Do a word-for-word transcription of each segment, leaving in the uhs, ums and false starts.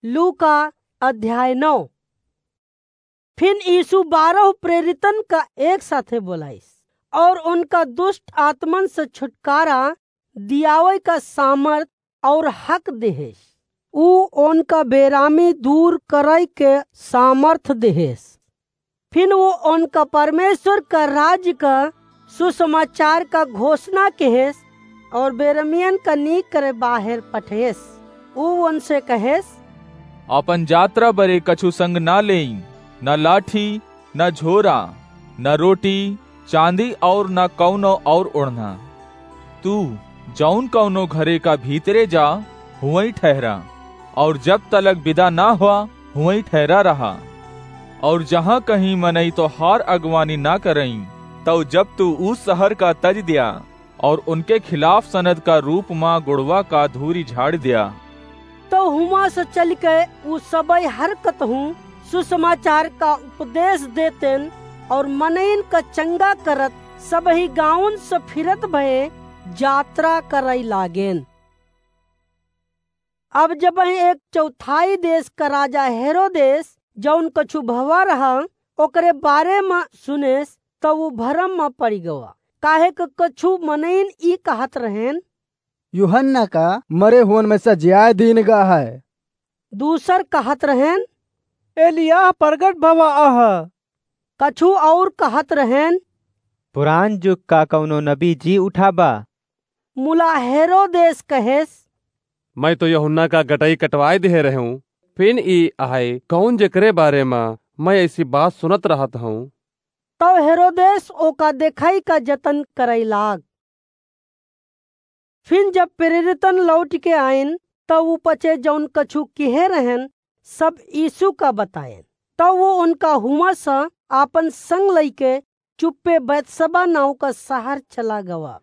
लूका अध्याय नौ। फिन यीशु बारह प्रेरितन का एक साथे बोलाइस और उनका दुष्ट आत्मन से छुटकारा दियावे का सामर्थ और हक देहेस। ऊ उनका बेरामी दूर करे के सामर्थ देहेस। फिन वो उनका परमेश्वर का राज्य का सुसमाचार का घोषणा केहेस और बेरमियन का नीक करे बाहेर पठेस। ऊ उनसे कहेस, आपन जात्रा बरे कछु संग ना लेई, ना लाठी, ना झोरा, ना रोटी, चांदी और ना कौनो और ओढ़ना। तू जौन कौनो घरे का भीतरे जा, हुवई ठहरा, और जब तलक विदा ना हुआ, हुवई ठहरा रहा। और जहाँ कहीं मनई तोहार अगवानी ना करई, तौ जब तू ऊ शहर का तज दिया और उनके खिलाफ सनद का रूप मा गुड़वा का धूरी झाड़ दिया। तौ हुआं से चलिके ऊ सबई हरकत हूँ सुसमाचार का उपदेश देतेन और मनइन का चंगा करत सबही गाँवन से फिरत भये जात्रा करई लागेन। अब जबही एक चौथाई देश का राजा हेरोदेस, जौन कछु भवा रहा, ओकरे बारे मा सुनेस, तौ ऊ भरम मा पड़ी गवा, काहे क कछु मनइन ई कहत रहेन, यूहन्ना का मरे हुवन में से जियाए दीन गा है। दूसर कहत रहेन, एलियाह प्रगट भवा अहा। कछु और कहत रहेन, पुरान जुग का कौनो नबी जी उठा बा। मुला हेरोदेस कहेस, मैं तो यूहन्ना का गटई कटवाए दिहे रहूं, फिन ई आए कौन जेकरे बारे मा मैं ऐसी बात सुनत रहत हूँ। तौ हेरोदेस ओका देखई का जतन करई लाग। फिन जब प्रेरितन लौटिके आइन, तौ ऊ पचे जौन कछु किहे रहेन, सब यीशु का बताएन। तौ वो उनका हुआं से आपन संग लइके चुप्पे बैतसबा नाव का शहर चला गवा।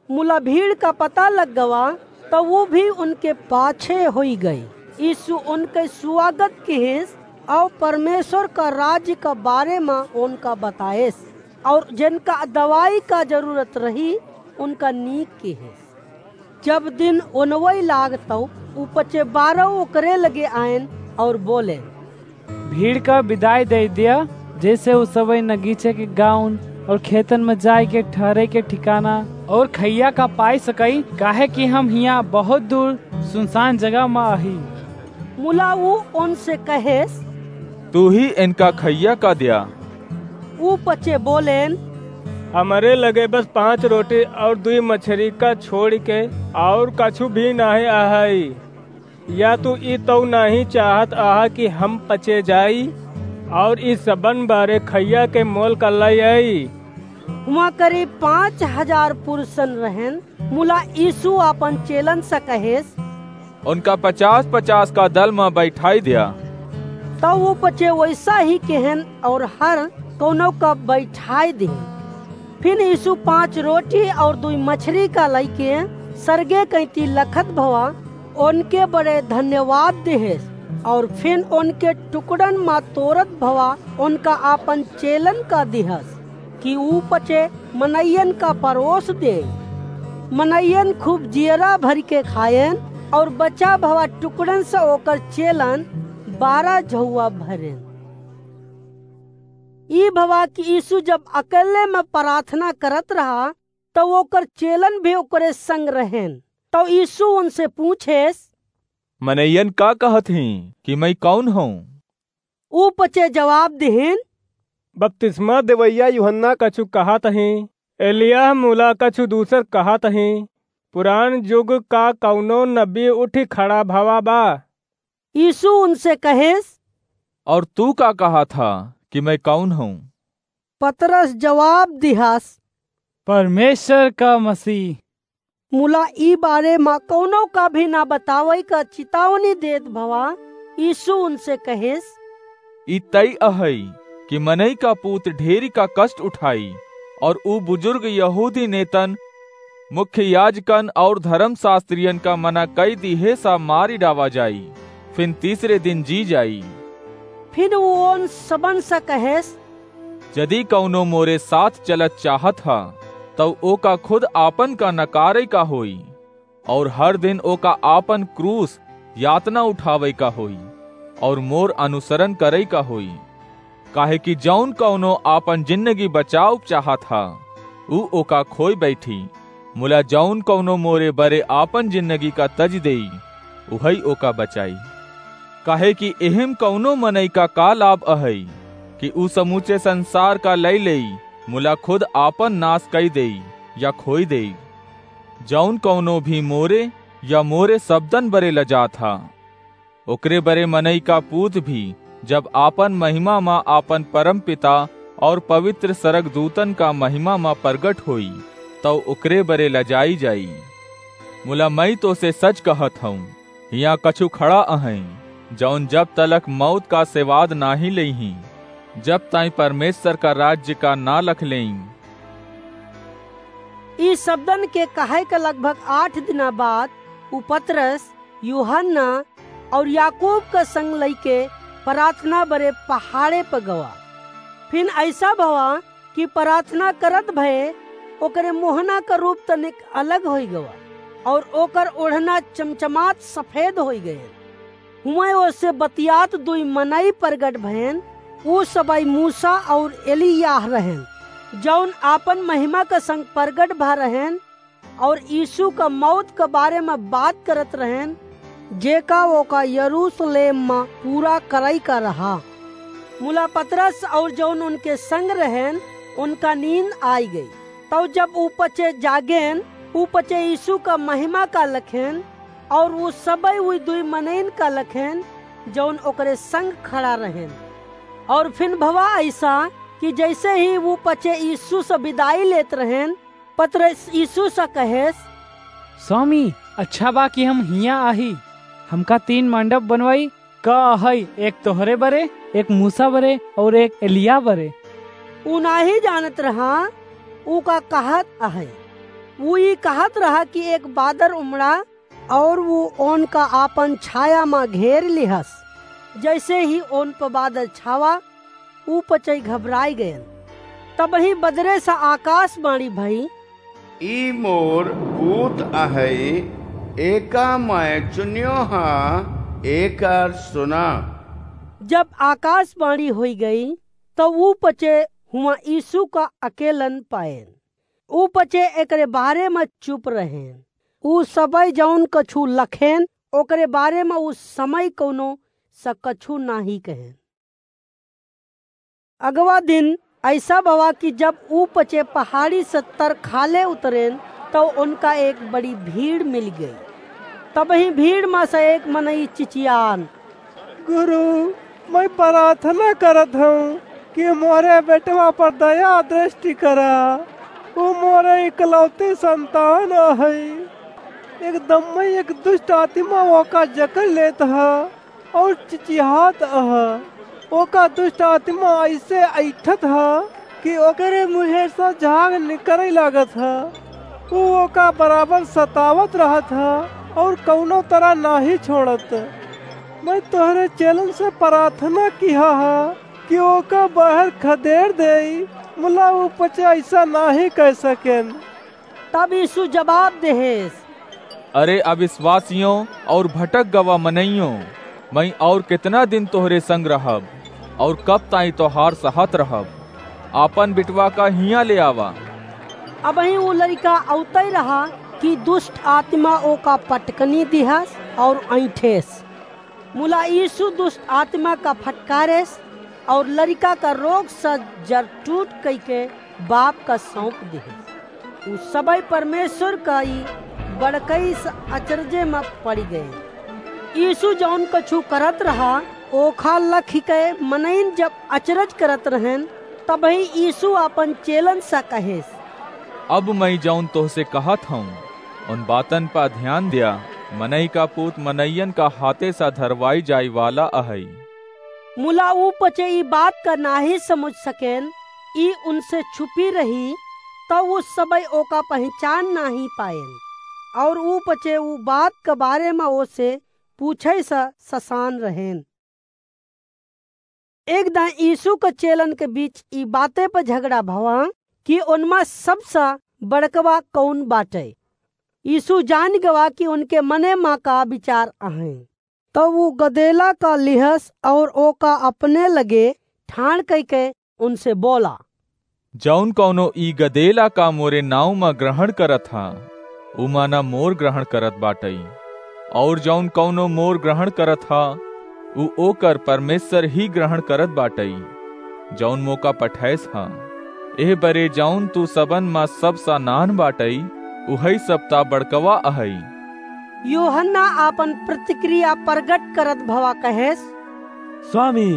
मुला भीड़ का पता लग गवा, तौ वो भी उनके पाछे होई गई। यीशु उनके स्वागत किहिस और परमेश्वर का राज्य का बारे मा उनका बताएस, और जिनका दवाई का जरूरत रही, उनका नीक किहिस। जब दिन ओनवई लाग, तौ ऊ पचे बारह ओकरे लगे आएन और बोलेन, भीड़ का विदाई दे दिया, जैसे ऊ सबई नगीचे के गाउन और खेतन में जाए के ठहरे के ठिकाना और खइया का पाए सकई, काहे कि हम हियाँ बहुत दूर सुनसान जगह में आही। मुला ऊ उनसे कहेस, तू ही इनका खइया का दिया। ऊ पचे बोलेन, हमरे लगे बस पाँच रोटी और दुई मछरी का छोड़िके और कछु भी नाहीं आहई। या तू ई तौ नाहीं चाहत आहा कि हम पचे जाई और ई सबन बारे खइया के मोल का लई आई? हुआं करीब पाँच हजार पुरुषन रहेन। मुला यीशु आपन चेलन से कहेस, उनका पचास पचास का दल में बैठाई दिया। तौ वो पचे वैसा ही केहेन और हर कौनो का बैठाई दिहेन। फिन यीशु पाँच रोटी और दुई मछरी का लइके सरगे कइती लखत भवा उनके बड़े धन्यवाद दिहेस और फिन उनके टुकड़न मा तोरत भवा उनका आपन चेलन का दिहस कि ऊ पचे मनइयन का परोस दे। मनइयन खूब जियरा भरि के खाएन और बचा भवा टुकड़न से ओकर चेलन बारह झउआ भरेन। ई भवा कि यीशु जब अकेले में प्रार्थना करत रहा, तौ ओकर चेलन भी ओकरे संग रहेन। तौ यीशु उनसे पूछेस, मनइयन का कहत हीं कि मैं कौन हूँ? ऊ पचे जवाब दिहिन, बपतिस्मा देवइया यूहन्ना कछु कहत हीं, एलियाह मुला कछु दूसर कहत हीं, पुरान जुग का कौनो नबी उठि खड़ा भवा बा। यीशु उनसे कहेस, और तू का कहत हा कि मैं कौन हूँ? पतरस जवाब दिहस, परमेश्वर का मसीह। मुला ई बारे मा कौनो का भी ना बतावई का चितावनी देत भवा यीशु उनसे कहेस, ई तय अहई कि मनई का पूत ढेरी का कष्ट उठाई और ऊ बुजुर्ग यहूदी नेतन, मुख्य याजकन और धर्मशास्त्रियन का मना कई दिहे सा मारी डावा जाई, फिन तीसरे दिन जी जाई। फिन ऊ उन सबन से कहेस, यदि कौनो मोरे साथ चलत चाहत हा, तब ओका खुद आपन का नकारे का होई, और हर दिन ओका आपन क्रूस यातना उठावे का होई, और मोर अनुसरण करई का होई। काहे कि जौन कौनो आपन जिंदगी बचाउब चाहत हा, ऊ ओका खोई बैठी, मुला जौन कौनो मोरे बरे आपन जिंदगी का तज देई, उहई ओका बचाई। काहे कि एहिम कौनो मनई का का लाभ अहई कि ऊ समूचे संसार का लई लेई, मुला खुद आपन नाश कई देई या खोई देई। जौन कौनो भी मोरे या मोरे शब्दन बरे लजात हा, ओकरे बरे मनई का पूत भी जब आपन महिमा मा आपन परम पिता और पवित्र सरग दूतन का महिमा मा प्रगट होई, तौ ओकरे बरे लजाई जाई। मुला मई तो से सच कहत हूँ, हियाँ कछु खड़ा अहई, जौन जब तलक मौत का सेवाद नाही लेही, जब ताई परमेश्वर का राज्य का ना लख लेई। ई शब्दन के कहे के लगभग आठ दिना बाद ऊ पतरस, यूहन्ना और याकूब का संग लइके प्रार्थना बरे पहाड़े पर गवा। फिन ऐसा भवा कि प्रार्थना करत भये ओकरे मोहना का रूप तनिक अलग होई गवा और ओकर ओढ़ना चमचमात सफेद होई गए। हुआं ओसे बतियात दुई मनई प्रगट भयन। ऊ सबई मूसा और एलियाह रहन, जौन आपन महिमा का संग प्रगट भा रहन और यीशु का मौत का बारे में बात करत रहन, जेका ओका यरूशलेम में पूरा करई का रहा। मुला पतरस और जौन उनके संग रहन, उनका नींद आई गई। तब जब ऊ पचे जागेन, ऊ पचे यीशु का महिमा का लखेन और ऊ सबई उई दुई मनइन का लखेन, जौन ओकरे संग खड़ा रहेन। और फिन भवा ऐसा कि जैसे ही ऊ पचे यीशु से विदाई लेत रहेन, पतरस यीशु से कहेस, "स्वामी, अच्छा बा कि हम हियाँ आही। हमका तीन मंडप बनवाई, का अहई, एक तोहरे बरे, एक मूसा बरे और एक एलिया बरे।" ऊ नाही जानत रहा ऊ का कहत अहई। ऊ ई कहत रहा कि एक बादर उमड़ा और ऊ ओन का आपन छाया मा घेर लिहस। जैसे ही ओन पर बादर छावा, ऊ पचई घबराई गयन। तबही बदरे से आकाशवाणी भई, "ई मोर पूत अहई, एका मैं चुन्यो हाँ, एकर सुना।" जब आकाशवाणी होई गई, तो ऊ पचे हुआ यीशु का अकेलन पाएन। ऊ पचे एकरे बारे में चुप रहेन। ऊ सबई जौन कछु लखेन, ओकरे बारे में ऊ समय कौनो स कछु नाही कहेन। अगवा दिन ऐसा भवा कि जब ऊ पचे पहाड़ी से तर खाले उतरेन, तो उनका एक बड़ी भीड़ मिल गई। तबही भीड़ मा से एक मनई चिचियान, "गुरु, मैं प्रार्थना करत हूँ कि मोरे बेटवा पर दया दृष्टि करा। ऊ मोरे इकलौती संतान अहई। एकदम मैं एक दुष्ट आत्मा ओका जकड़ लेत ह और चिचिहात ह। ओका दुष्ट आत्मा ऐसे ऐठत ह कि ओकरे मुँहे से झाग निकरे लागत ह। ऊ ओका बराबर सतावत रहत ह और कौनो तरह नाही छोड़त। मैं तोहरे चेलन से प्रार्थना किहा ह कि ओका बाहर खदेड़ देई, मुला ऊ पचे ऐसा नाही कह सकेन।" तब यीशु जवाब देहेस, "अरे अविश्वासियों और भटक गवा मनइयों, मैं और कितना दिन तोहरे संग रहब और कब ताई तोहार सहत रहब? आपन बिटवा का हियाँ ले आवा।" अबही ऊ लड़िका अउतई रहा कि दुष्ट आत्मा ओका पटकनी दिहस और ऐंठेस। मुला यीशु दुष्ट आत्मा का फटकारेस और लड़िका का रोग से जर टूट कइके बाप का सौंप दिहेस। उ सबई परमेश्वर का ई बड़कई से अचरजे में पड़ गए। यीशु जौन कछु करत रहा, ओखा लखिके मनइन जब अचरज करत रहेन, तबही यीशु आपन चेलन से कहेस, "अब मैं जौन तोहसे कहत हूँ, उन बातन पा ध्यान द्या, मनई का पूत मनइयन का हाथे सा धरवाई जाई वाला अहई।" मुला ऊ पचे ई बात का नाही समुझ सकेन, ई उनसे छुपी रही, तौ ऊ सबई ओका पहिचान नाही पाएन, और ऊ पचे ऊ बात का बारे मा ओसे पूछई सा ससान रहेन। एक दाईं यीशु क चेलन के बीच ई बाते प झगड़ा भवा कि ओनमा सबसे बड़कवा कौन बाटै। यीशु जानि गवा कि ओनके मने मा का विचार अहैं। तब उ गदेला का लिहस और ओका अपने लगे ठाड़ कइके उनसे बोला, जौन कौनो ई गदेला का मोरे नाव मा ग्रहण करत हा, उ माना मोर ग्रहण करत बाटई, और जौन कौनो मोर ग्रहण करत हा, उ ओकर परमेश्वर ही ग्रहण करत बाटई, जौन मोका पठैस हा। एह बरे जौन तू सबन मा सबसा नान्ह बाटई, उहई सबता बड़कवा अहई। यूहन्ना आपन प्रतिक्रिया प्रगट करत भवा कहेस, स्वामी,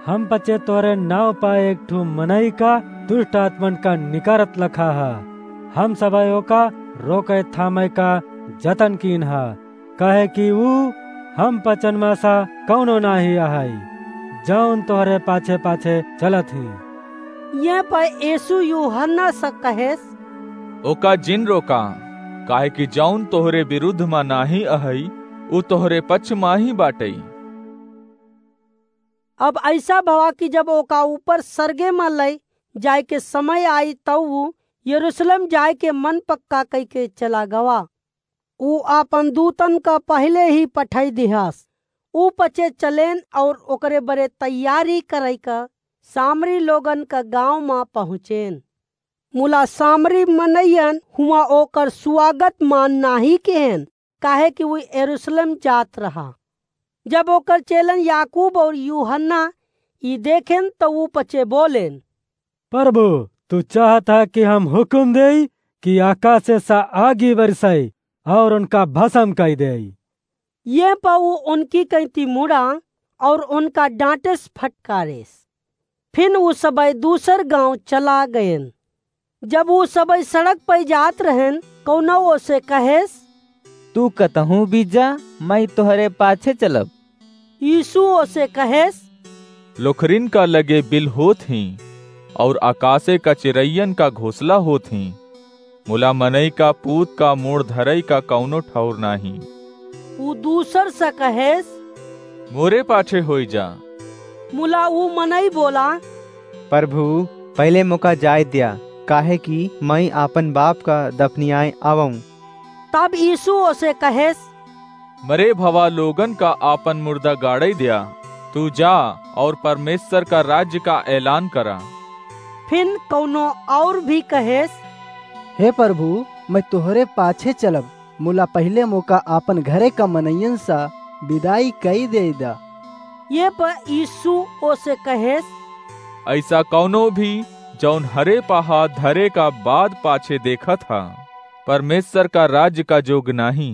हम पचे तोरे नाव पा एक ठू मनई का दुष्ट आत्मन का निकारत लखा हा। हम सबई ओका रोके थामे का जतन कीन हा, काहे कि ऊ हम पचन मा सा कौनो नाही अहई, जौन तोहरे पाछे पाछे चलत ही। ये पर यीशु यूहन्ना से कहेस, ओका जिन रोका, काहे कि जौन तोहरे विरुद्ध मा नाही अहई, उ तोहरे पक्ष मा ही बाटई। अब ऐसा भवा कि जब ओका ऊपर सरगे मा लई जाए के समय आई, तब ऊ यरूशलेम जाए के मन पक्का कई के चला गवा। ऊ आपन दूतन का पहले ही पठाई दिहास। ऊ पचे चलेन और ओकरे बरे तैयारी करई का सामरी लोगन का गांव मा पहुँचेन। मुला सामरी मनइयन हुआ ओकर स्वागत मान नाही केहेन, काहे कि ऊ यरूशलेम जात रहा। जब ओकर चेलन याकूब और यूहन्ना ई देखेन, तो ऊ पचे बोलेन, प्रभु, तू चाहत हा कि हम हुकुम देई कि आकाशे सा आगी बरसाई और उनका भस्म कई देई? ये पर ऊ उनकी कैंती मुड़ा और उनका डांटेस फटकारेस। फिन ऊ सबई दूसर गांव चला गएन। जब ऊ सबई सड़क पर जात रहेन, कौनो ओसे कहेस, तू कतहूँ भी जा, मैं तोहरे पाछे चलब। यीशु ओसे कहेस, लोखरिन का लगे बिल होत ही और आकाशे का चिरैयन का घोंसला होत ही, मुला मनई का पूत का मोड़ धरई का कौनो ठौर नाही। ऊ दूसर से कहेस, मोरे पाछे होई जा। मुला ऊ मनई बोला, प्रभु, पहले मोका जाए द्या, काहे कि मैं आपन बाप का दफनियाए आवऊँ। तब यीशु ओसे कहेस, मरे भवा लोगन का आपन मुर्दा गाड़ई द्या, तू जा और परमेश्वर का राज्य का ऐलान करा। फिन कौनो और भी कहेस, हे प्रभु, मैं तोहरे पाछे चलब, मुला पहले मोका आपन घरे का मनइयन सा विदाई कई देई दा। ये पर यीशु ओसे कहेस, ऐसा कौनो भी जौन हरे पा हाथ धरे का बाद पाछे देखत हा, परमेश्वर का राज्य का जोग नाही।